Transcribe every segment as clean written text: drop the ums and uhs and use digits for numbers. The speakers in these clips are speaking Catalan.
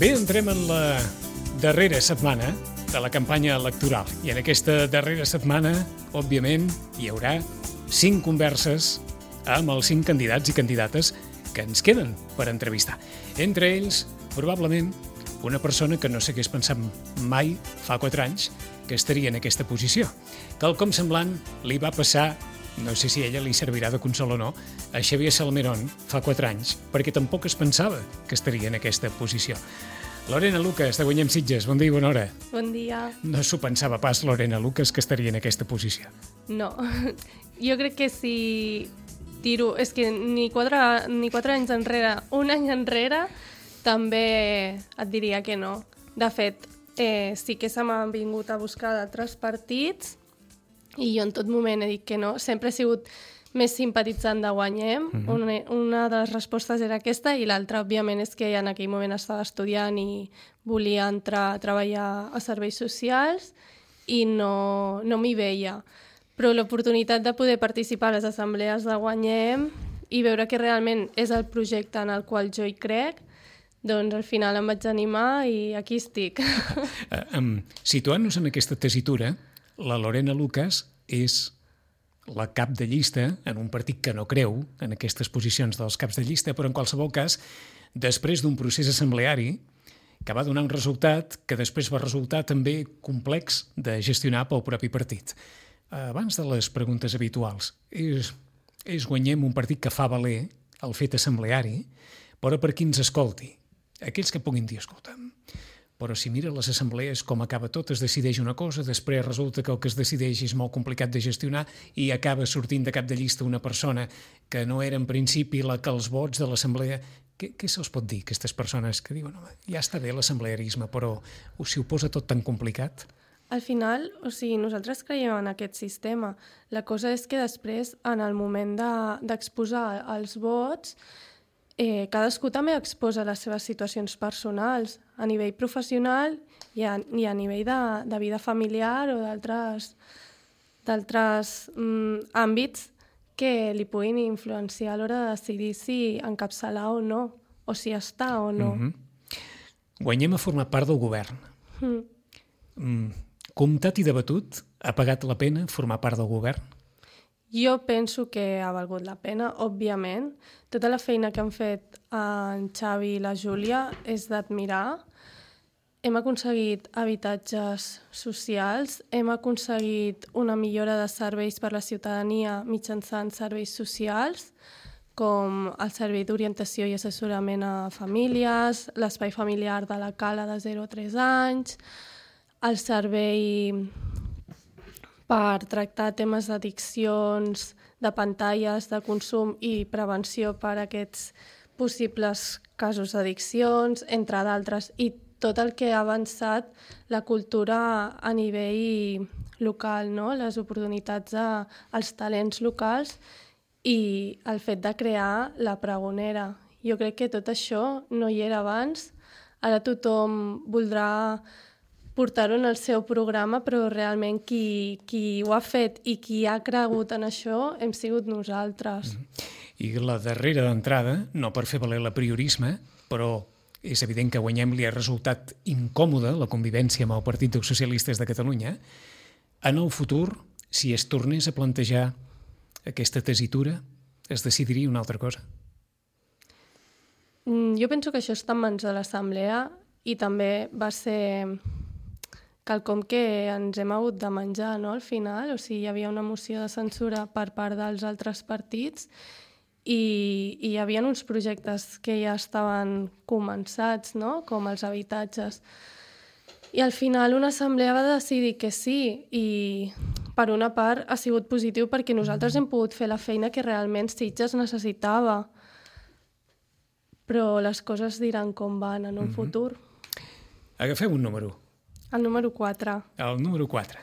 Bé, entrem en la darrera setmana de la campanya electoral. I en aquesta darrera setmana, òbviament, hi haurà 5 converses amb els 5 candidats i candidates que ens queden per entrevistar. Entre ells, probablement, una persona que no s'hagués pensat mai, fa 4 anys, que estaria en aquesta posició. Quelcom semblant li va passar, no sé si a ella li servirà de consol o no, a Xavier Salmerón fa 4 anys, perquè tampoc es pensava que estaria en aquesta posició. Lorena Lucas, de Guanyem Sitges, bon dia i bona hora. Bon dia. No s'ho pensava pas, Lorena Lucas, que estaria en aquesta posició. No, jo crec que si tiro... És que ni 4 anys enrere, un any enrere, també et diria que no. De fet, sí que se m'han vingut a buscar d'altres partits i jo en tot moment he dit que no. Sempre he sigut més simpatitzant de Guanyem. Una de les respostes era aquesta i l'altra, òbviament, és que en aquell moment estava estudiant i volia entrar a treballar a serveis socials i no m'hi veia. Però l'oportunitat de poder participar a les assemblees de Guanyem i veure que realment és el projecte en el qual jo hi crec, doncs al final em vaig animar i aquí estic. Situant-nos en aquesta tessitura, la Lorena Lucas és la cap de llista en un partit que no creu en aquestes posicions dels caps de llista, però en qualsevol cas, després d'un procés assembleari que va donar un resultat que després va resultar també complex de gestionar pel propi partit. Abans de les preguntes habituals, és Guanyem un partit que fa valer el fet assembleari, però per qui ens escolti, aquells que puguin dir, escolta'm, però si mira les assemblees com acaba tot, es decideix una cosa, després resulta que el que es decideix és molt complicat de gestionar i acaba sortint de cap de llista una persona que no era en principi la que els vots de l'assemblea... Què se'ls pot dir, aquestes persones que diuen ja està bé l'assemblearisme, però si ho posa tot tan complicat? Al final, nosaltres creiem en aquest sistema. La cosa és que després, en el moment d'exposar els vots, cadascú també exposa les seves situacions personals a nivell professional i a nivell de vida familiar o d'altres àmbits que li puguin influenciar a l'hora de decidir si encapçalar o no, o si està o no. Guanyem a formar part del govern. Comptat i debatut, ha pagat la pena formar part del govern? Jo penso que ha valgut la pena, òbviament. Tota la feina que han fet en Xavi i la Júlia és d'admirar. Hem aconseguit habitatges socials, hem aconseguit una millora de serveis per a la ciutadania mitjançant serveis socials, com el servei d'orientació i assessorament a famílies, l'espai familiar de la Cala de 0 a 3 anys, el servei per tractar temes d'addiccions, de pantalles, de consum i prevenció per a aquests possibles casos d'addiccions, entre d'altres, i tot el que ha avançat la cultura a nivell local, no? Les oportunitats als talents locals i el fet de crear la pregonera. Jo crec que tot això no hi era abans. Ara tothom voldrà portar-ho en el seu programa, però realment qui ho ha fet i qui ha cregut en això hem sigut nosaltres. I la darrera d'entrada, no per fer valer l'apriorisme, però és evident que Guanyem li ha resultat incòmode la convivència amb el Partit dels Socialistes de Catalunya. En el futur, si es tornés a plantejar aquesta tessitura, es decidiria una altra cosa? Jo penso que això està en mans de l'Assemblea i també va ser quelcom que ens hem hagut de menjar, no?, al final. O sigui, hi havia una moció de censura per part dels altres partits i hi havia uns projectes que ja estaven començats, no?, com els habitatges. I al final una assemblea va decidir que sí i per una part ha sigut positiu perquè nosaltres hem pogut fer la feina que realment Sitges necessitava. Però les coses diran com van en un futur. Agafem un número. El número 4. El número 4.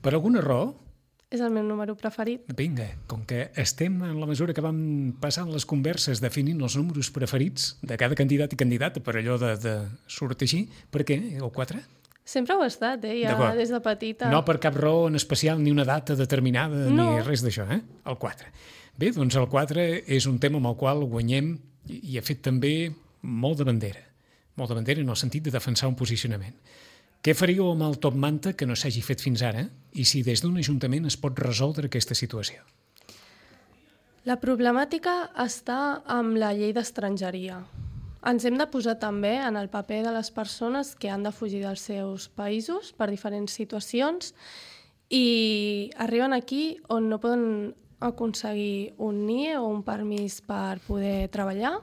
Per alguna raó? És el meu número preferit. Vinga, com que estem en la mesura que vam passant les converses definint els números preferits de cada candidat i candidata per allò de sortir així, per què el 4? Sempre ho ha estat, ja des de petita. No per cap raó en especial, ni una data determinada, ni res d'això, el 4. Bé, doncs el 4 és un tema amb el qual Guanyem i ha fet també molt de bandera. molt davantera en el sentit de defensar un posicionament. Què faríeu amb el top manta que no s'hagi fet fins ara i si des d'un ajuntament es pot resoldre aquesta situació? La problemàtica està amb la llei d'estrangeria. Ens hem de posar també en el paper de les persones que han de fugir dels seus països per diferents situacions i arriben aquí on no poden aconseguir un NIE o un permís per poder treballar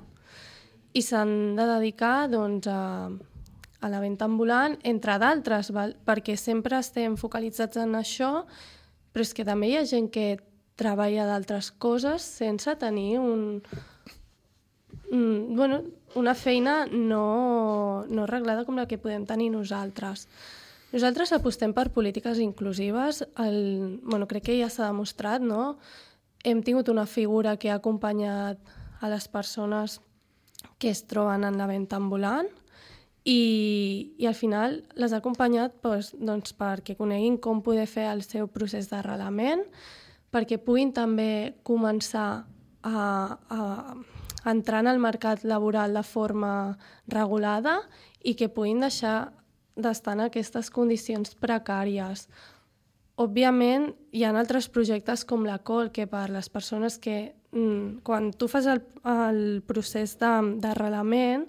i s'han de dedicar doncs, a la venda ambulant, entre d'altres, perquè sempre estem focalitzats en això, però és que també hi ha gent que treballa d'altres coses sense tenir una feina no arreglada com la que podem tenir nosaltres. Nosaltres apostem per polítiques inclusives. Crec que ja s'ha demostrat, no? Hem tingut una figura que ha acompanyat a les persones que es troben en la venda ambulant i al final les ha acompanyat doncs, perquè coneguin com poder fer el seu procés d'arrelament, perquè puguin també començar a entrar en el mercat laboral de forma regulada i que puguin deixar d'estar en aquestes condicions precàries. Òbviament, hi ha altres projectes com la COL, que per les persones que, quan tu fas el procés d'arrelament,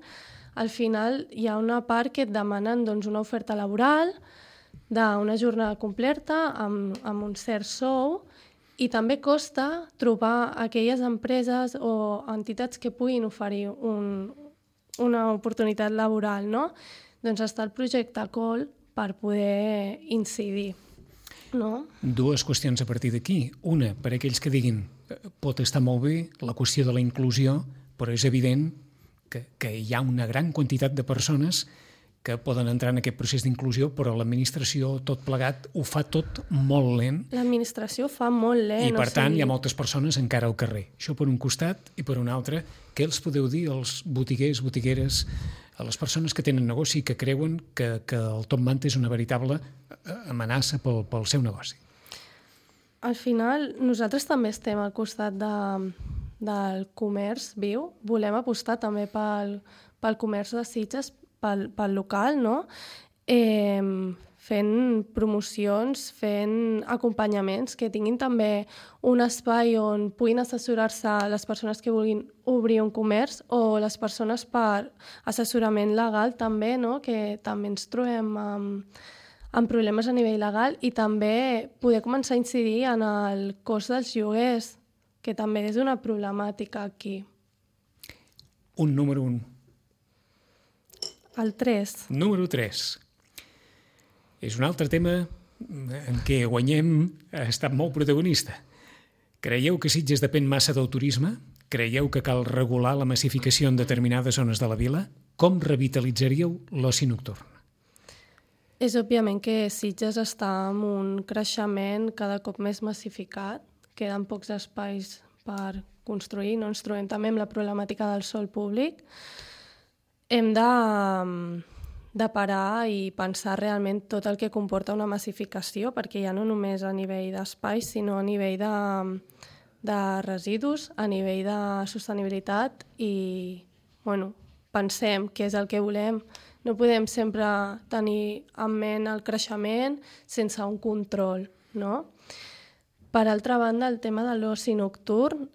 al final hi ha una part que et demanen doncs, una oferta laboral d'una jornada completa amb un cert sou i també costa trobar aquelles empreses o entitats que puguin oferir una oportunitat laboral, no? Doncs està el projecte COL per poder incidir. No? Dues qüestions a partir d'aquí. Una, per aquells que diguin pot estar molt bé la qüestió de la inclusió, però és evident que hi ha una gran quantitat de persones que poden entrar en aquest procés d'inclusió, però l'administració, tot plegat, ho fa tot molt lent. L'administració ho fa molt lent. I, per tant, hi ha moltes persones encara al carrer. Això per un costat, i per un altre, què els podeu dir als botiguers, botigueres, a les persones que tenen negoci i que creuen que el top manta és una veritable amenaça pel seu negoci? Al final, nosaltres també estem al costat del comerç viu. Volem apostar també pel comerç de Sitges, pel local, no? Fent promocions, fent acompanyaments, que tinguin també un espai on puguin assessorar-se les persones que vulguin obrir un comerç o les persones per assessorament legal també, no? Que també ens trobem amb problemes a nivell legal i també poder començar a incidir en el cost dels lloguers, que també és una problemàtica aquí. Un número 1. El 3. Número 3. És un altre tema en què Guanyem ha estat molt protagonista. Creieu que Sitges depèn massa del turisme? Creieu que cal regular la massificació en determinades zones de la vila? Com revitalitzaríeu l'oci nocturn? És òbviament que Sitges està en un creixement cada cop més massificat. Queden pocs espais per construir. No ens trobem també amb la problemàtica del sòl públic. Hem de parar i pensar realment tot el que comporta una massificació, perquè ja no només a nivell d'espais, sinó a nivell de residus, a nivell de sostenibilitat i pensem què és el que volem. No podem sempre tenir en ment el creixement sense un control, no? Per altra banda, el tema de l'oci nocturn,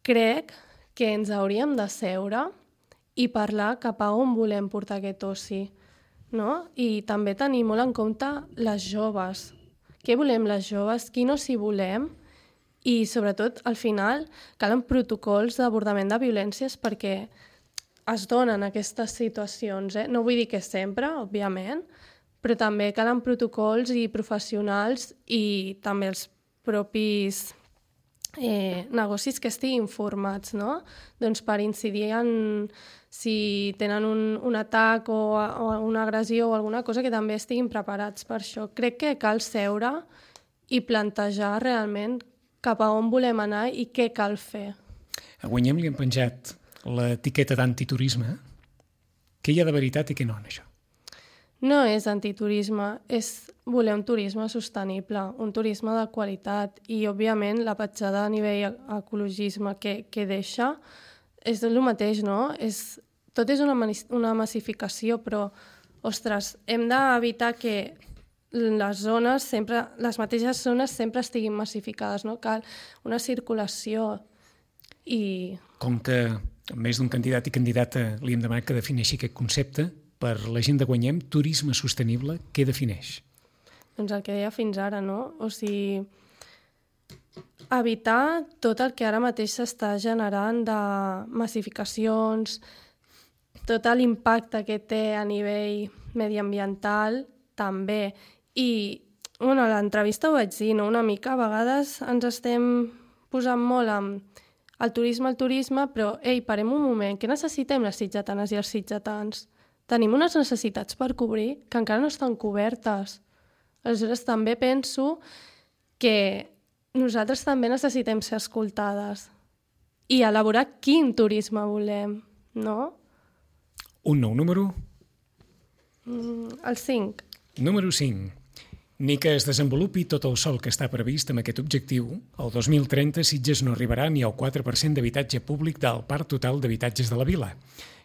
crec que ens hauríem de seure i parlar cap a on volem portar aquest oci, no? I també tenir molt en compte les joves. Què volem les joves? Quin oci volem? I, sobretot, al final, calen protocols d'abordament de violències perquè es donen aquestes situacions. No vull dir que sempre, òbviament, però també calen protocols i professionals i també els propis negocis que estiguin formats, no? Doncs per incidir en si tenen un atac o una agressió o alguna cosa que també estiguin preparats per això. Crec que cal seure i plantejar realment cap a on volem anar i què cal fer. A Guanyem li han penjat l'etiqueta d'antiturisme. Què hi ha de veritat i què no en això? No és antiturisme, és voler un turisme sostenible, un turisme de qualitat i, òbviament, la petjada a nivell ecologisme que deixa és el mateix, no? És tot és una massificació, però, ostres, hem d'evitar que les mateixes zones sempre estiguin massificades, no? Cal una circulació i... Com que més d'un candidat i candidata li hem demanat que defineixi aquest concepte, per la gent de Guanyem, turisme sostenible, què defineix? Doncs el que deia fins ara, no? O sigui, evitar tot el que ara mateix s'està generant de massificacions, tot l'impacte que té a nivell mediambiental, també. I, bueno, a l'entrevista ho vaig dir, no? Una mica, a vegades ens estem posant molt amb el turisme, però, parem un moment, què necessitem les sitgetanes i els sitgetans? Tenim unes necessitats per cobrir que encara no estan cobertes. Aleshores, també penso que nosaltres també necessitem ser escoltades i elaborar quin turisme volem, no? Un nou número? El 5. Número 5. Ni que es desenvolupi tot el sòl que està previst amb aquest objectiu, el 2030 Sitges no arribarà ni al 4% d'habitatge públic del parc total d'habitatges de la vila,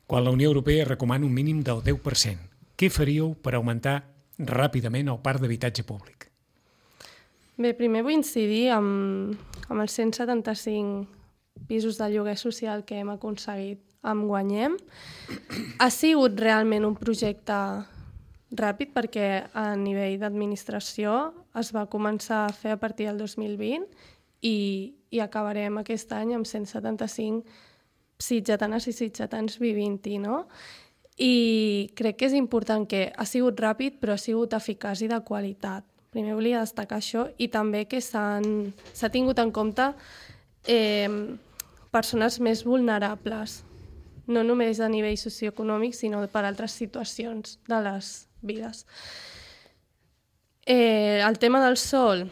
quan la Unió Europea recomana un mínim del 10%. Què faríeu per augmentar ràpidament el parc d'habitatge públic? Bé, primer vull incidir amb els 175 pisos de lloguer social que hem aconseguit amb Guanyem. Ha sigut realment un projecte ràpid perquè a nivell d'administració es va començar a fer a partir del 2020 i acabarem aquest any amb 175 sitgetanes i sitgetans vivint-hi, no? I crec que és important que ha sigut ràpid però ha sigut eficaç i de qualitat. Primer volia destacar això i també que s'ha tingut en compte persones més vulnerables, no només a nivell socioeconòmic, sinó per altres situacions de les vides. El tema del sòl,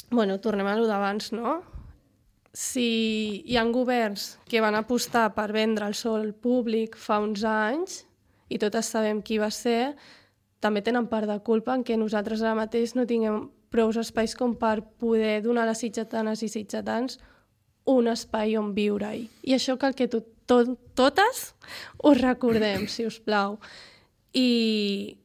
bueno, tornem a lo d'abans, no? Si hi ha governs que van apostar per vendre el sòl públic fa uns anys, i totes sabem qui va ser, també tenen part de culpa en què nosaltres ara mateix no tinguem prou espais com per poder donar a les sitgetanes i sitgetans un espai on viure-hi. I això cal que totes ho recordem, si us plau. I,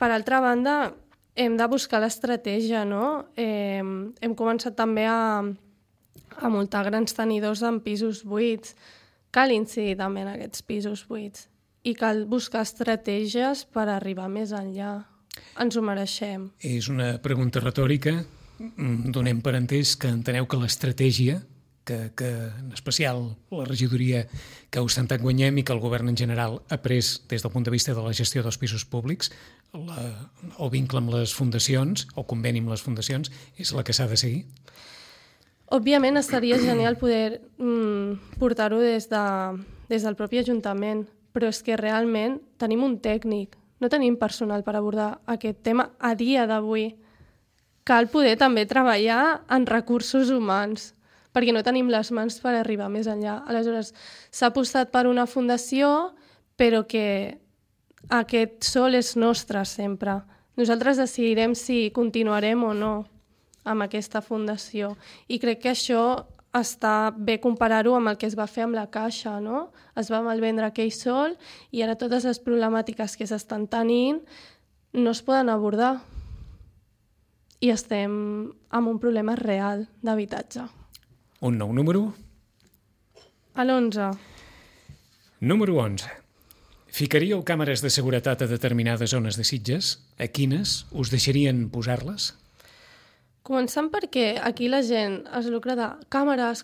per altra banda, hem de buscar l'estratègia, no? Hem començat també a multar grans tenidors en pisos buits. Cal incidir també en aquests pisos buits. I cal buscar estratègies per arribar més enllà. Ens ho mereixem. És una pregunta retòrica. Donem per entès que enteneu que l'estratègia, que en especial la regidoria que ha ostentat Guanyem i que el govern en general ha pres des del punt de vista de la gestió dels pisos públics, el vincle amb les fundacions, el conveni amb les fundacions, és la que s'ha de seguir? Òbviament estaria genial poder portar-ho des del propi Ajuntament, però és que realment tenim un tècnic, no tenim personal per abordar aquest tema a dia d'avui. Cal poder també treballar en recursos humans, perquè no tenim les mans per arribar més enllà. Aleshores, s'ha apostat per una fundació, però que aquest sòl és nostre sempre. Nosaltres decidirem si continuarem o no amb aquesta fundació. I crec que això està bé comparar-ho amb el que es va fer amb la Caixa, no? Es va malvendre aquell sòl i ara totes les problemàtiques que s'estan tenint no es poden abordar. I estem amb un problema real d'habitatge. Un nou número? L'11. Número 11. Ficaríeu càmeres de seguretat a determinades zones de Sitges? A quines? Us deixarien posar-les? Començant perquè aquí la gent es lucra de càmeres.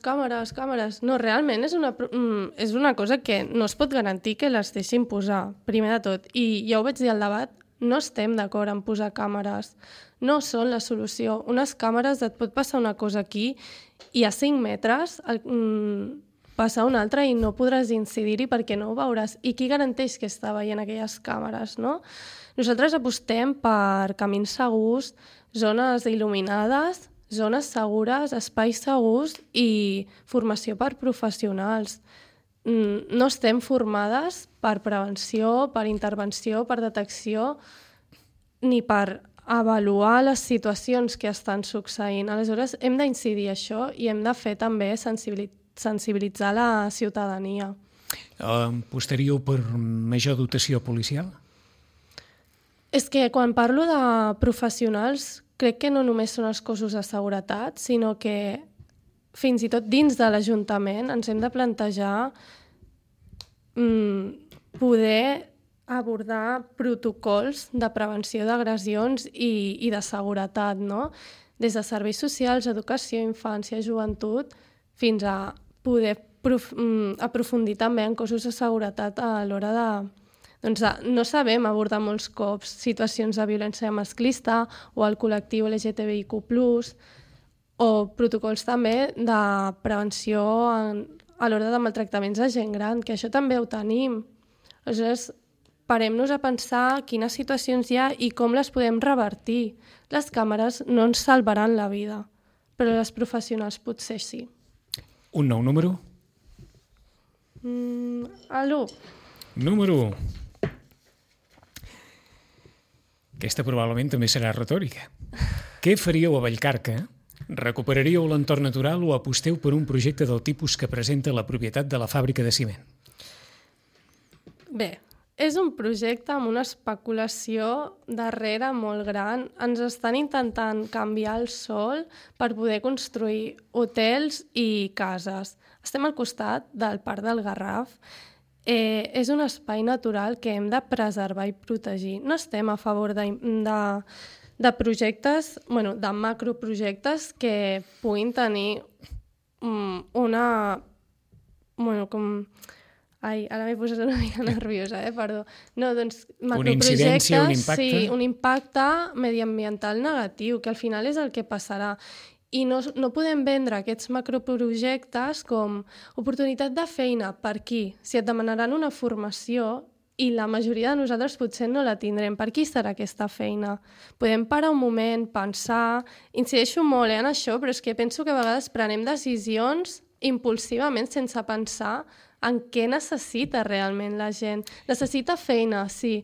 No, realment és una cosa que no es pot garantir que les deixin posar, primer de tot. I ja ho vaig dir al debat, no estem d'acord en posar càmeres. No són la solució. Unes càmeres et pot passar una cosa aquí i a 5 metres passar una altra i no podràs incidir-hi perquè no ho veuràs. I qui garanteix que està veient aquelles càmeres, no? Nosaltres apostem per camins segurs, zones il·luminades, zones segures, espais segurs i formació per professionals. No estem formades per prevenció, per intervenció, per detecció, ni per avaluar les situacions que estan succeint. Aleshores, hem d'incidir això i hem de fer també sensibilitzar la ciutadania. Apostaríeu per major dotació policial? És que quan parlo de professionals, crec que no només són els cossos de seguretat, sinó que fins i tot dins de l'Ajuntament ens hem de plantejar poder abordar protocols de prevenció d'agressions i de seguretat, no? Des de serveis socials, educació, infància, joventut, fins a poder aprofundir també en cossos de seguretat a l'hora de... Doncs no sabem abordar molts cops situacions de violència masclista o el col·lectiu LGTBIQ+, o protocols també de prevenció a l'hora de maltractaments de gent gran, que això també ho tenim. Aleshores, parem-nos a pensar quines situacions hi ha i com les podem revertir. Les càmeres no ens salvaran la vida, però les professionals potser sí. Un nou número? L'1. Número 1. Aquesta probablement també serà retòrica. Què faríeu a Vallcarca? Recuperaríeu l'entorn natural o aposteu per un projecte del tipus que presenta la propietat de la fàbrica de ciment? Bé, és un projecte amb una especulació darrere molt gran. Ens estan intentant canviar el sòl per poder construir hotels i cases. Estem al costat del Parc del Garraf. És un espai natural que hem de preservar i protegir. No estem a favor de projectes, de macroprojectes que puguin tenir una... Ai, ara m'he posat una mica nerviosa, perdó. No, doncs una incidència, un impacte? Sí, un impacte mediambiental negatiu, que al final és el que passarà. I no podem vendre aquests macroprojectes com oportunitat de feina. Per qui? Si et demanaran una formació i la majoria de nosaltres potser no la tindrem, per qui serà aquesta feina? Podem parar un moment, pensar... Incideixo molt en això, però és que penso que a vegades prenem decisions impulsivament sense pensar en què necessita realment la gent. Necessita feina, sí,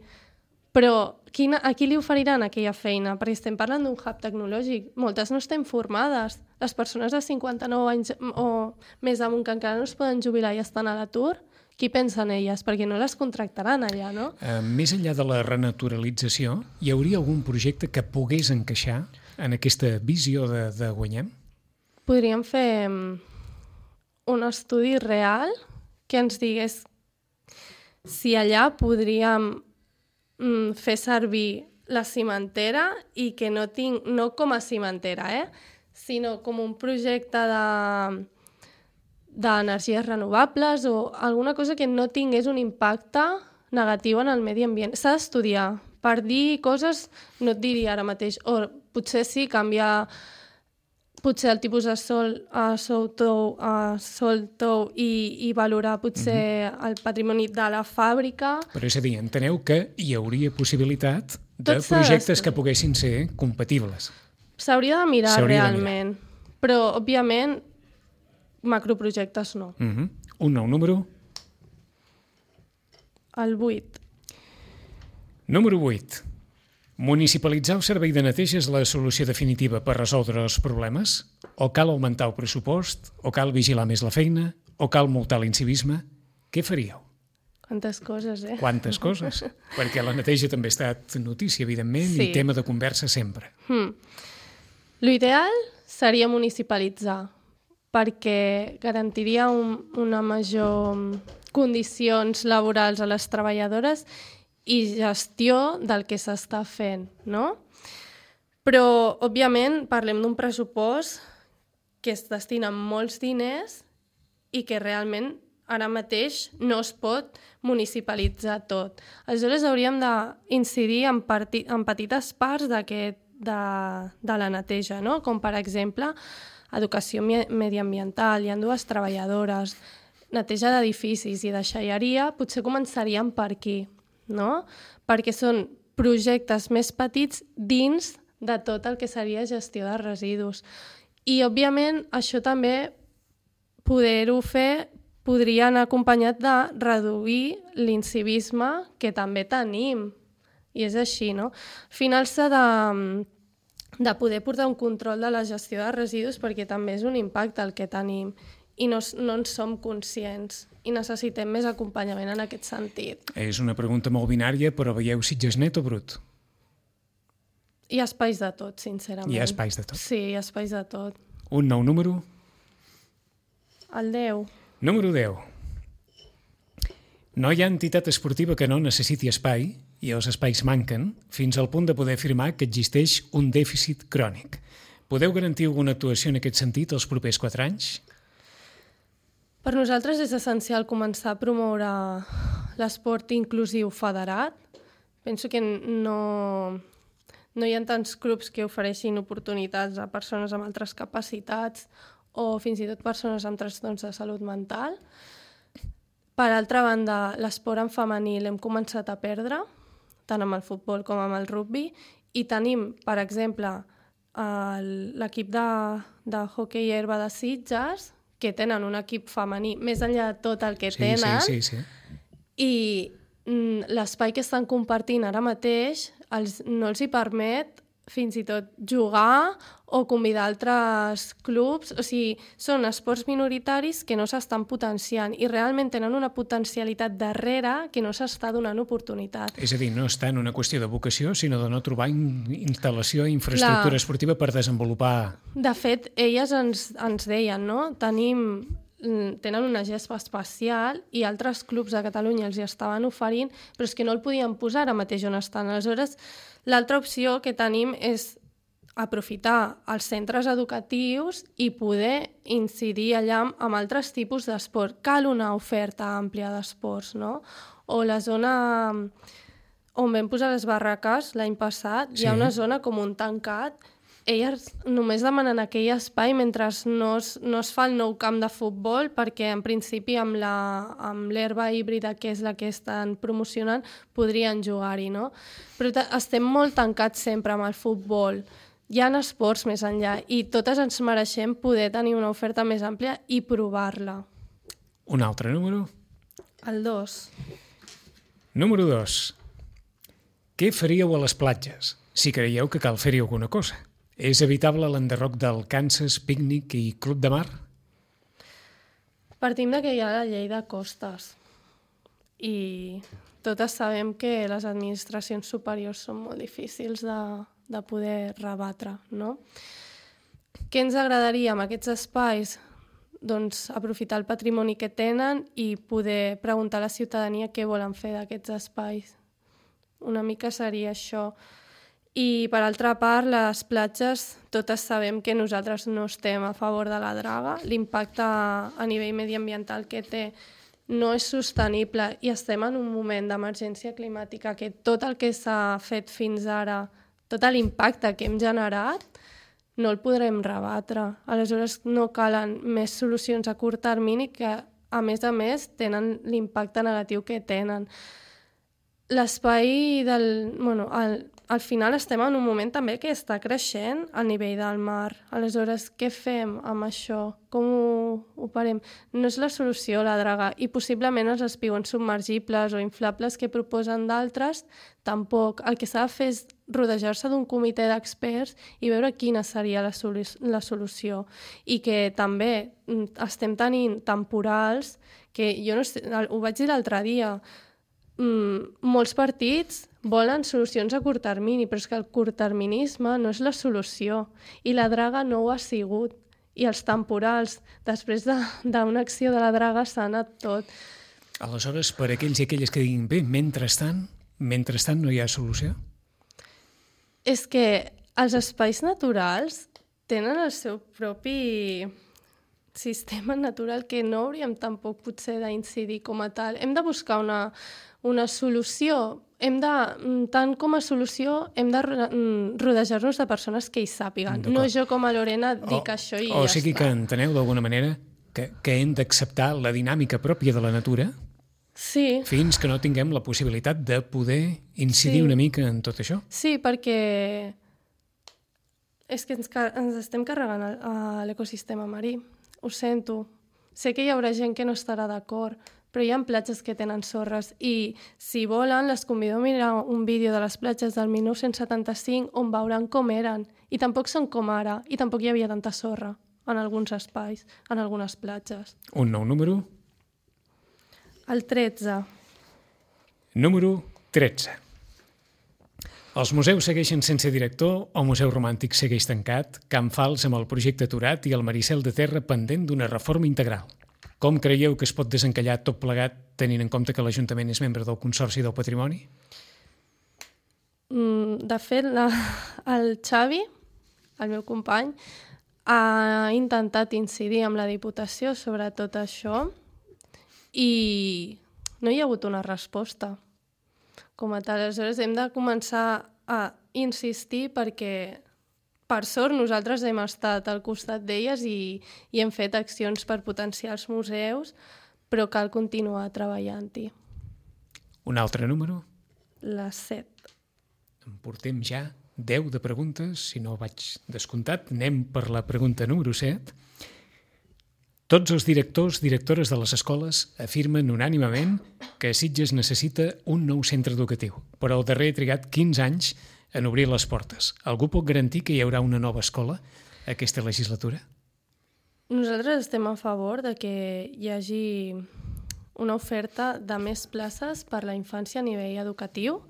però a qui li oferiran aquella feina? Perquè estem parlant d'un hub tecnològic. Moltes no estem formades. Les persones de 59 anys o més amunt que encara no es poden jubilar i estan a l'atur, qui pensa en elles? Perquè no les contractaran allà, no? Més enllà de la renaturalització, hi hauria algun projecte que pogués encaixar en aquesta visió de Guanyem? Podríem fer un estudi real que ens digués si allà podríem fer servir la cimentera i que no com a cimentera, sinó com un projecte d'energies renovables o alguna cosa que no tingués un impacte negatiu en el medi ambient. S'ha d'estudiar. Per dir coses no et diria ara mateix, o potser sí canviar potser el tipus de sol a sol tou i valorar potser el patrimoni de la fàbrica. Però és a dir, enteneu que hi hauria possibilitat de projectes que poguessin ser compatibles. S'hauria de mirar realment, però òbviament macroprojectes no. Un nou número? El 8. Número 8. Municipalitzar el servei de neteja és la solució definitiva per resoldre els problemes? O cal augmentar el pressupost? O cal vigilar més la feina? O cal multar l'incivisme? Què faríeu? Quantes coses, Quantes coses? Perquè la neteja també ha estat notícia, evidentment, sí. I tema de conversa sempre. L'ideal seria municipalitzar, perquè garantiria una major condicions laborals a les treballadores i gestió del que s'està fent, no? Però, òbviament, parlem d'un pressupost que es destina molts diners i que realment ara mateix no es pot municipalitzar tot. Aleshores, hauríem d'incidir en petites parts de la neteja, no? Com, per exemple, educació mediambiental, hi ha 2 treballadores, neteja d'edificis i deixalleria, potser començaríem per aquí, no? Perquè són projectes més petits dins de tot el que seria gestió de residus. I, òbviament, això també poder-ho fer podria anar acompanyat de reduir l'incivisme que també tenim. I és així, no? Al final s'ha de poder portar un control de la gestió de residus perquè també és un impacte el que tenim i no en som conscients. i necessitem més acompanyament en aquest sentit. És una pregunta molt binària, però veieu Sitges net o brut? Hi ha espais de tot, sincerament. Hi ha espais de tot. Sí, hi ha espais de tot. Un nou número? El 10. Número 10. No hi ha entitat esportiva que no necessiti espai, i els espais manquen, fins al punt de poder afirmar que existeix un dèficit crònic. Podeu garantir alguna actuació en aquest sentit els propers 4 anys? Per nosaltres és essencial començar a promoure l'esport inclusiu federat. Penso que no hi ha tants clubs que ofereixin oportunitats a persones amb altres capacitats o fins i tot persones amb trastorns de salut mental. Per altra banda, l'esport en femení l'hem començat a perdre, tant amb el futbol com amb el rugbi, i tenim, per exemple, l'equip de hoquei herba de Sitges, que tenen un equip femení, més enllà de tot el que tenen, Sí. I l'espai que estan compartint ara mateix no els hi permet fins i tot jugar o convidar altres clubs. O sigui, són esports minoritaris que no s'estan potenciant i realment tenen una potencialitat darrere que no s'està donant oportunitat. És a dir, no està en una qüestió de vocació, sinó de no trobar instal·lació i infraestructura esportiva per desenvolupar. De fet, elles ens deien, no? Tenen una gespa especial i altres clubs de Catalunya els hi estaven oferint, però és que no el podien posar ara mateix on estan. Aleshores, l'altra opció que tenim és aprofitar els centres educatius i poder incidir allà amb altres tipus d'esport. Cal una oferta àmplia d'esports, no? O la zona on vam posar les barraques l'any passat, hi ha una zona com un tancat. Elles només demanen aquell espai mentre no es fa el nou camp de futbol, perquè en principi amb l'herba híbrida, que és la que estan promocionant, podrien jugar-hi, no? Però estem molt tancats sempre amb el futbol. Hi ha esports més enllà i totes ens mereixem poder tenir una oferta més àmplia i provar-la. Un altre número? El 2. Número 2. Què faríeu a les platges, si creieu que cal fer-hi alguna cosa? És evitable l'enderroc del Kansas, pícnic i club de mar? Partim que hi ha la llei de costes i totes sabem que les administracions superiors són molt difícils de poder rebatre, no? Què ens agradaria amb aquests espais? Doncs aprofitar el patrimoni que tenen i poder preguntar a la ciutadania què volen fer d'aquests espais. Una mica seria això. I, per altra part, les platges, totes sabem que nosaltres no estem a favor de la draga. L'impacte a nivell mediambiental que té no és sostenible i estem en un moment d'emergència climàtica que tot el que s'ha fet fins ara, tot l'impacte que hem generat, no el podrem rebatre. Aleshores, no calen més solucions a curt termini que, a més, tenen l'impacte negatiu que tenen. L'espai al final estem en un moment també que està creixent a nivell del mar. Aleshores, què fem amb això? Com ho parem? No és la solució la draga i possiblement els espigons submergibles o inflables que proposen d'altres tampoc. El que s'ha de fer és rodejar-se d'un comitè d'experts i veure quina seria la solució. I que també estem tenint temporals que jo no sé, ho vaig dir l'altre dia, molts partits volen solucions a curt termini, però és que el curtterminisme no és la solució i la draga no ho ha sigut. I els temporals, després d'una acció de la draga, s'ha anat tot. Aleshores, per aquells i aquelles que diguin bé, mentrestant no hi ha solució? És que els espais naturals tenen el seu propi sistema natural que no hauríem tampoc potser d'incidir com a tal. Hem de buscar una solució. Tant com a solució, hem de rodejar-nos de persones que hi sàpiguen. No jo com a Lorena dic això i ja està. O sigui que enteneu d'alguna manera que hem d'acceptar la dinàmica pròpia de la natura fins que no tinguem la possibilitat de poder incidir una mica en tot això? Sí, perquè és que ens estem carregant l'ecosistema marí. Ho sento. Sé que hi haurà gent que no estarà d'acord, però hi ha platges que tenen sorres i, si volen, les convido a mirar un vídeo de les platges del 1975 on veuran com eren. I tampoc són com ara, i tampoc hi havia tanta sorra en alguns espais, en algunes platges. Un nou número? El 13. Número 13. Els museus segueixen sense director, el Museu Romàntic segueix tancat, Can Fals amb el projecte aturat i el Maricel de Terra pendent d'una reforma integral. Com creieu que es pot desencallar tot plegat tenint en compte que l'Ajuntament és membre del Consorci del Patrimoni? De fet, el Xavi, el meu company, ha intentat incidir amb la Diputació sobre tot això i no hi ha hagut una resposta com a tal. Aleshores hem de començar a insistir perquè, per sort, nosaltres hem estat al costat d'elles i hem fet accions per potenciar els museus, però cal continuar treballant-hi. Un altre número? Les 7. En portem ja 10 de preguntes, si no vaig descomptat. Anem per la pregunta número 7. Tots els directors de les escoles afirmen unànimement que Sitges necessita un nou centre educatiu, però el darrer ha trigat 15 anys en obrir les portes. Algú pot garantir que hi haurà una nova escola aquesta legislatura? Nosaltres estem a favor de que hi hagi una oferta de més places per la infància a nivell educatiu.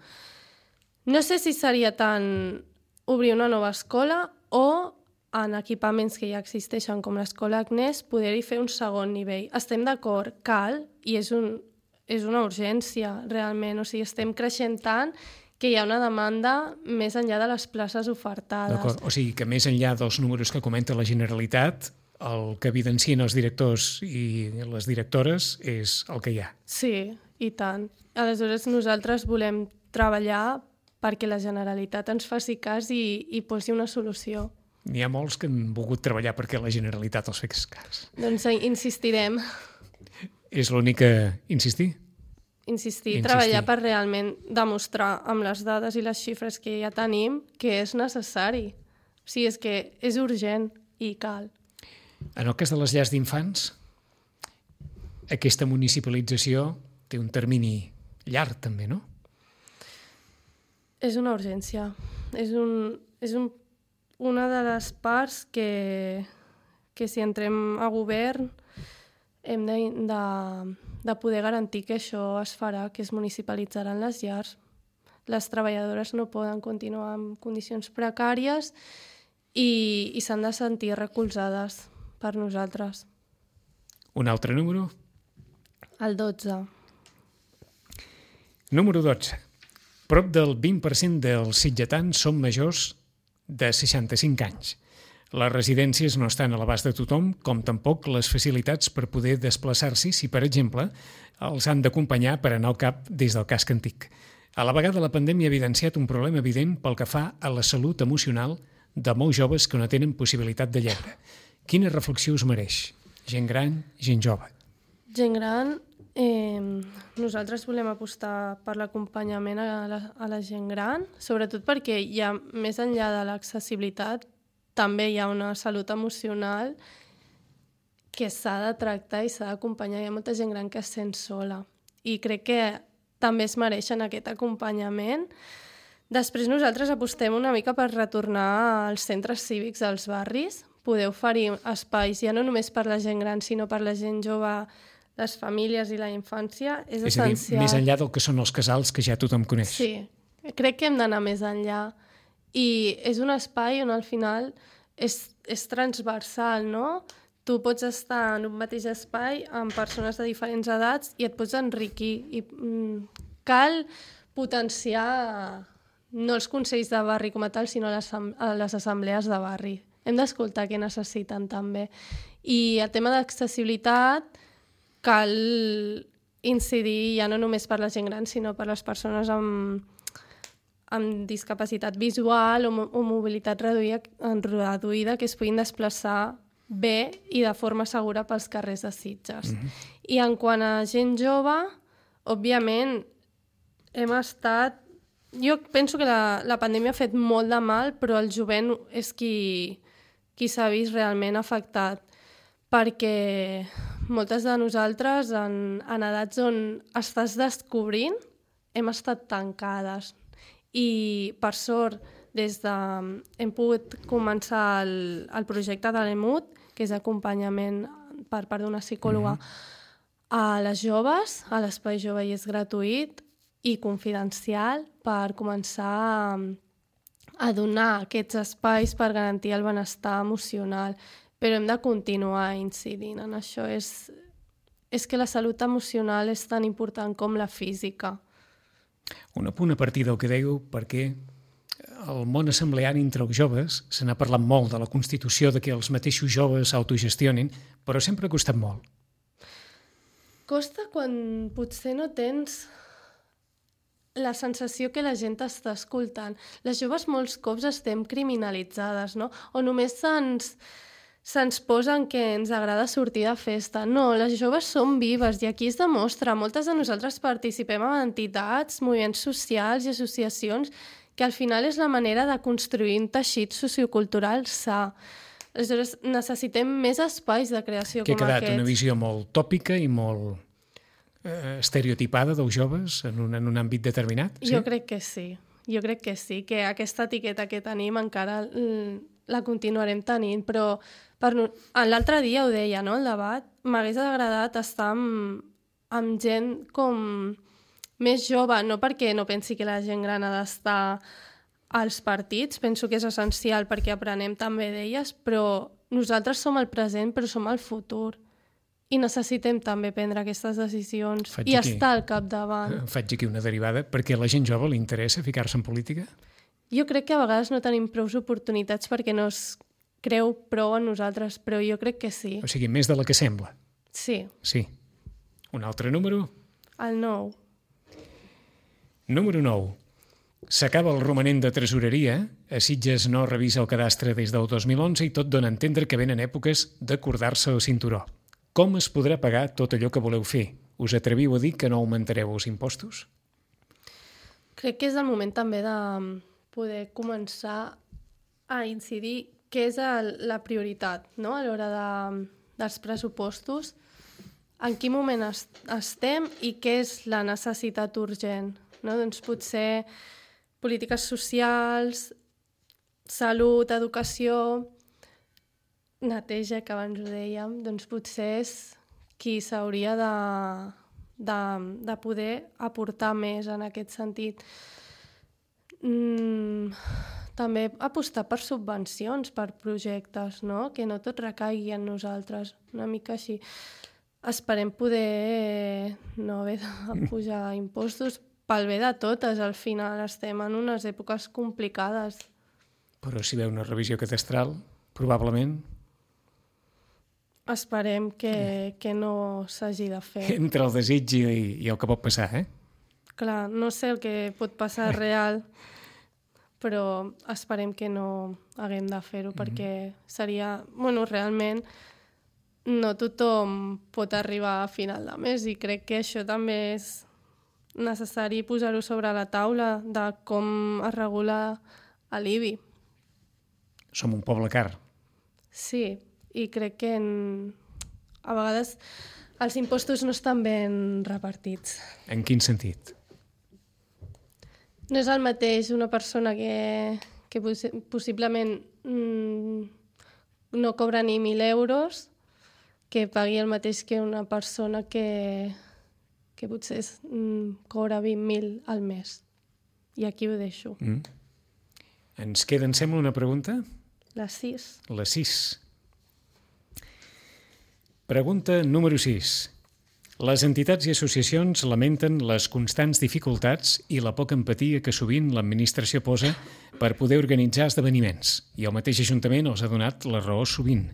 No sé si seria tant obrir una nova escola o en equipaments que ja existeixen com l'escola Agnès poder-hi fer un segon nivell. Estem d'acord, cal, i és una urgència realment. O sigui, estem creixent tant que hi ha una demanda més enllà de les places ofertades. D'acord, o sigui que més enllà dels números que comenta la Generalitat, el que evidencien els directors i les directores és el que hi ha. Sí, i tant. Aleshores, nosaltres volem treballar perquè la Generalitat ens faci cas i posi una solució. N'hi ha molts que han volgut treballar perquè la Generalitat els fes cas. Doncs insistirem. És l'únic que insistir? Insistir, treballar per realment demostrar amb les dades i les xifres que ja tenim que és necessari. O sigui, és que és urgent i cal. En el cas de les llars d'infants, aquesta municipalització té un termini llarg també, no? És una urgència. És una de les parts que si entrem a govern hem de poder garantir que això es farà, que es municipalitzaran les llars. Les treballadores no poden continuar en condicions precàries i s'han de sentir recolzades per nosaltres. Un altre número? El 12. Número 12. Prop del 20% dels sitgetans són majors de 65 anys. Les residències no estan a l'abast de tothom, com tampoc les facilitats per poder desplaçar-s'hi si, per exemple, els han d'acompanyar per anar al cap des del casc antic. A la vegada, la pandèmia ha evidenciat un problema evident pel que fa a la salut emocional de molts joves que no tenen possibilitat de lleure. Quina reflexió us mereix? Gent gran, gent jove. Gent gran, nosaltres volem apostar per l'acompanyament a la gent gran, sobretot perquè hi ha, més enllà de l'accessibilitat, també hi ha una salut emocional que s'ha de tractar i s'ha d'acompanyar. Hi ha molta gent gran que es sent sola i crec que també es mereixen aquest acompanyament. Després nosaltres apostem una mica per retornar als centres cívics dels barris, poder oferir espais ja no només per la gent gran sinó per la gent jove, les famílies i la infància. És essencial. És a dir, més enllà del que són els casals que ja tothom coneix. Sí, crec que hem d'anar més enllà. I és un espai on al final és transversal, no? Tu pots estar en un mateix espai amb persones de diferents edats i et pots enriquir. I cal potenciar no els consells de barri com a tal, sinó les assemblees de barri. Hem d'escoltar què necessiten també. I el tema d'accessibilitat cal incidir ja no només per la gent gran, sinó per les persones amb discapacitat visual o mobilitat reduïda que es puguin desplaçar bé i de forma segura pels carrers de Sitges. I en quant a gent jove, òbviament, hem estat... Jo penso que la pandèmia ha fet molt de mal, però el jovent és qui s'ha vist realment afectat, perquè moltes de nosaltres, en edats on estàs descobrint, hem estat tancades. I, per sort, hem pogut començar el projecte de l'EMUT, que és acompanyament per part d'una psicòloga a les joves, a l'Espai Jove i és gratuït i confidencial per començar a donar aquests espais per garantir el benestar emocional, però hem de continuar incidint en això. És que la salut emocional és tan important com la física. Un apunt a partir del que dèieu, perquè el món assembleari entre els joves se n'ha parlat molt de la constitució, de que els mateixos joves s'autogestionin, però sempre ha costat molt. Costa quan potser no tens la sensació que la gent t'està escoltant. Les joves molts cops estem criminalitzades, no? O només se'ns posen que ens agrada sortir de festa. No, les joves són vives i aquí es demostra. Moltes de nosaltres participem en entitats, moviments socials i associacions que al final és la manera de construir un teixit sociocultural sa. Aleshores, necessitem més espais de creació que com ha quedat aquests. una visió molt tòpica i molt estereotipada dels joves en un àmbit determinat? Sí? Jo crec que sí. Jo crec que sí, que aquesta etiqueta que tenim encara la continuarem tenint, però l'altre dia ho deia, no?, el debat, m'hagués agradat estar amb gent com més jove, no perquè no pensi que la gent gran ha d'estar als partits, penso que és essencial perquè aprenem també d'elles, però nosaltres som el present, però som el futur. I necessitem també prendre aquestes decisions i estar al capdavant. Faig aquí una derivada. Perquè a la gent jove li interessa ficar-se en política? Jo crec que a vegades no tenim prou oportunitats perquè no es creu prou en nosaltres, però jo crec que sí. O sigui, més de la que sembla. Sí. Sí. Un altre número? El 9. Número 9. S'acaba el romanent de tresoreria, a Sitges no revisa el cadastre des del 2011 i tot dona a entendre que venen èpoques d'acordar-se el cinturó. Com es podrà pagar tot allò que voleu fer? Us atreviu a dir que no augmentareu els impostos? Crec que és el moment també de poder començar a incidir què és la prioritat, no?, a l'hora dels pressupostos, en quin moment estem i què és la necessitat urgent. No? Doncs potser polítiques socials, salut, educació, neteja, que abans ho dèiem, doncs potser és qui s'hauria de poder aportar més en aquest sentit. També apostar per subvencions, per projectes, no?, que no tot recaigui en nosaltres, una mica així. Esperem poder no haver de pujar impostos pel bé de totes. Al final estem en unes èpoques complicades. Però si veu una revisió cadastral, probablement... Esperem que no s'hagi de fer. Entre el desig i el que pot passar, Clar, no sé el que pot passar real, però esperem que no haguem de fer-ho, perquè seria... Bueno, realment no tothom pot arribar a final de mes i crec que això també és necessari posar-ho sobre la taula de com es regula l'IBI. Som un poble car. Sí, i crec que a vegades els impostos no estan ben repartits. En quin sentit? No és el mateix una persona que possiblement no cobra ni 1.000 euros que pagui el mateix que una persona que potser cobra 20.000 al mes. I aquí ho deixo. Ens queda, em sembla, una pregunta? La 6. La 6. Pregunta número 6. Les entitats i associacions lamenten les constants dificultats i la poca empatia que sovint l'administració posa per poder organitzar esdeveniments, i el mateix Ajuntament els ha donat la raó sovint.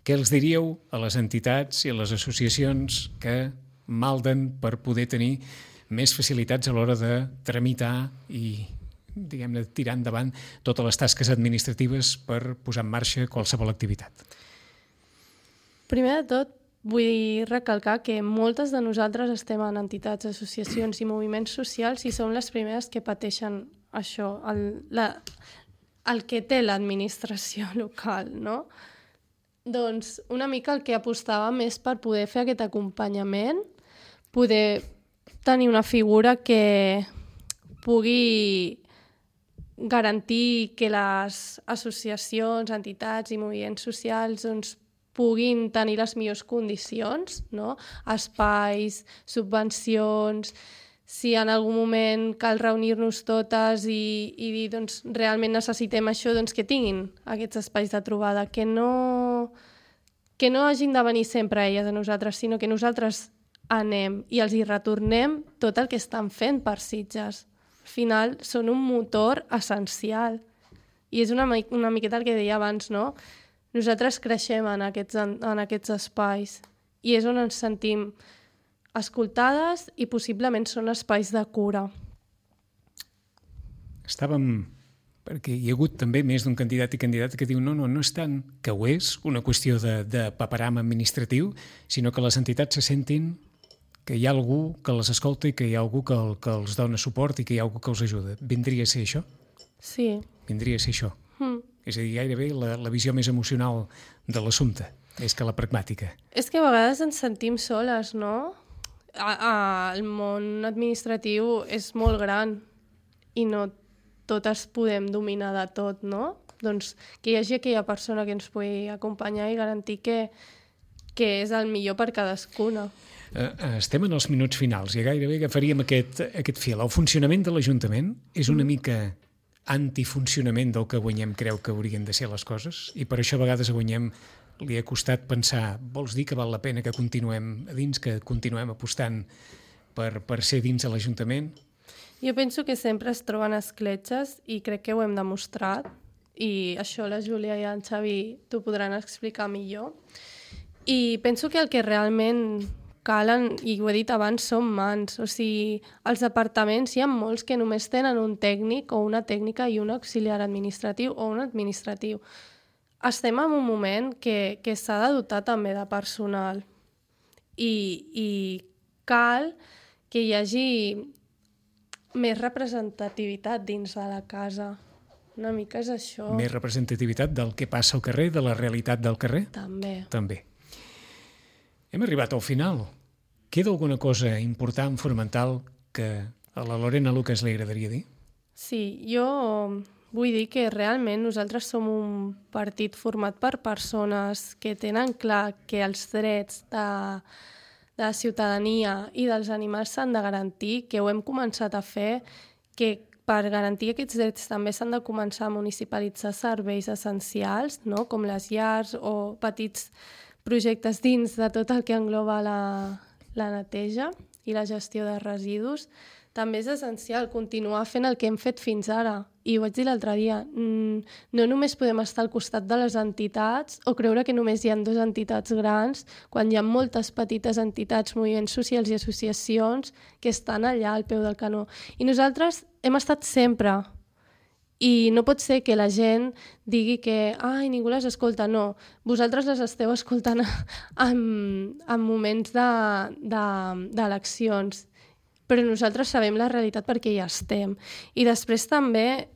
Què els diríeu a les entitats i a les associacions que malden per poder tenir més facilitats a l'hora de tramitar i, diguem-ne, tirar endavant totes les tasques administratives per posar en marxa qualsevol activitat? Primer de tot, vull recalcar que moltes de nosaltres estem en entitats, associacions i moviments socials i som les primeres que pateixen això, el que té l'administració local, no? Doncs una mica el que apostàvem és per poder fer aquest acompanyament, poder tenir una figura que pugui garantir que les associacions, entitats i moviments socials doncs, puguin tenir les millors condicions, no? Espais, subvencions, si en algun moment cal reunir-nos totes i dir, doncs, realment necessitem això, doncs que tinguin aquests espais de trobada, que no hagin de venir sempre elles a nosaltres, sinó que nosaltres anem i els hi retornem tot el que estan fent per Sitges. Al final són un motor essencial. I és una miqueta el que deia abans, no? Nosaltres creixem en aquests espais i és on ens sentim escoltades i possiblement són espais de cura. Perquè hi ha hagut també més d'un candidat i candidata que diu no és tant que ho és una qüestió de paperam administratiu, sinó que les entitats se sentin que hi ha algú que les escolta i que hi ha algú que els dona suport i que hi ha algú que els ajuda. Vindria a ser això? Sí. Vindria a ser això. És a dir, gairebé la visió més emocional de l'assumpte, més que la pragmàtica. És que a vegades ens sentim soles, no? El món administratiu és molt gran i no totes podem dominar de tot, no? Doncs que hi hagi aquella persona que ens pugui acompanyar i garantir que és el millor per cadascuna. Estem en els minuts finals i gairebé agafaríem aquest fil. El funcionament de l'Ajuntament és una mica antifuncionament del que Guanyem creu que haurien de ser les coses i per això a vegades a Guanyem li ha costat pensar, vols dir que val la pena que continuem a dins, que continuem apostant per ser dins de l'Ajuntament? Jo penso que sempre es troben escletxes i crec que ho hem demostrat i això la Júlia i en Xavi t'ho podran explicar millor. I penso que el que realment calen, i ho he dit abans, són mans. O sigui, als departaments hi ha molts que només tenen un tècnic o una tècnica i un auxiliar administratiu o un administratiu. Estem en un moment que s'ha de dotar també de personal i cal que hi hagi més representativitat dins de la casa. Una mica és això. Més representativitat del que passa al carrer, de la realitat del carrer? També. Hem arribat al final. Queda alguna cosa important, fonamental, que a la Lorena Lucas li agradaria dir? Sí, jo vull dir que realment nosaltres som un partit format per persones que tenen clar que els drets de la ciutadania i dels animals s'han de garantir, que ho hem començat a fer, que per garantir aquests drets també s'han de començar a municipalitzar serveis essencials, no? Com les llars o petits projectes dins de tot el que engloba la neteja i la gestió de residus. També és essencial continuar fent el que hem fet fins ara. I ho vaig dir l'altre dia, no només podem estar al costat de les entitats o creure que només hi ha 2 entitats grans, quan hi ha moltes petites entitats, moviments socials i associacions que estan allà al peu del canó. I nosaltres hem estat sempre. I no pot ser que la gent digui que ningú les escolta. No, vosaltres les esteu escoltant en moments d'eleccions, però nosaltres sabem la realitat perquè hi estem. I després també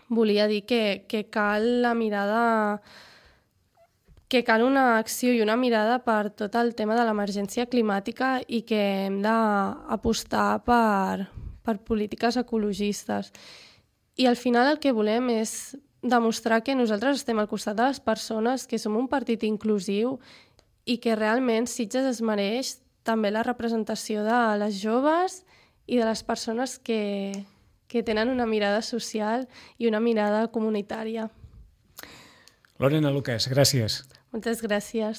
volia dir que cal la mirada, que cal una acció i una mirada per tot el tema de l'emergència climàtica i que hem d'apostar per polítiques ecologistes. I al final el que volem és demostrar que nosaltres estem al costat de les persones, que som un partit inclusiu i que realment Sitges es mereix també la representació de les joves i de les persones que tenen una mirada social i una mirada comunitària. Lorena Lucas, gràcies. Moltes gràcies.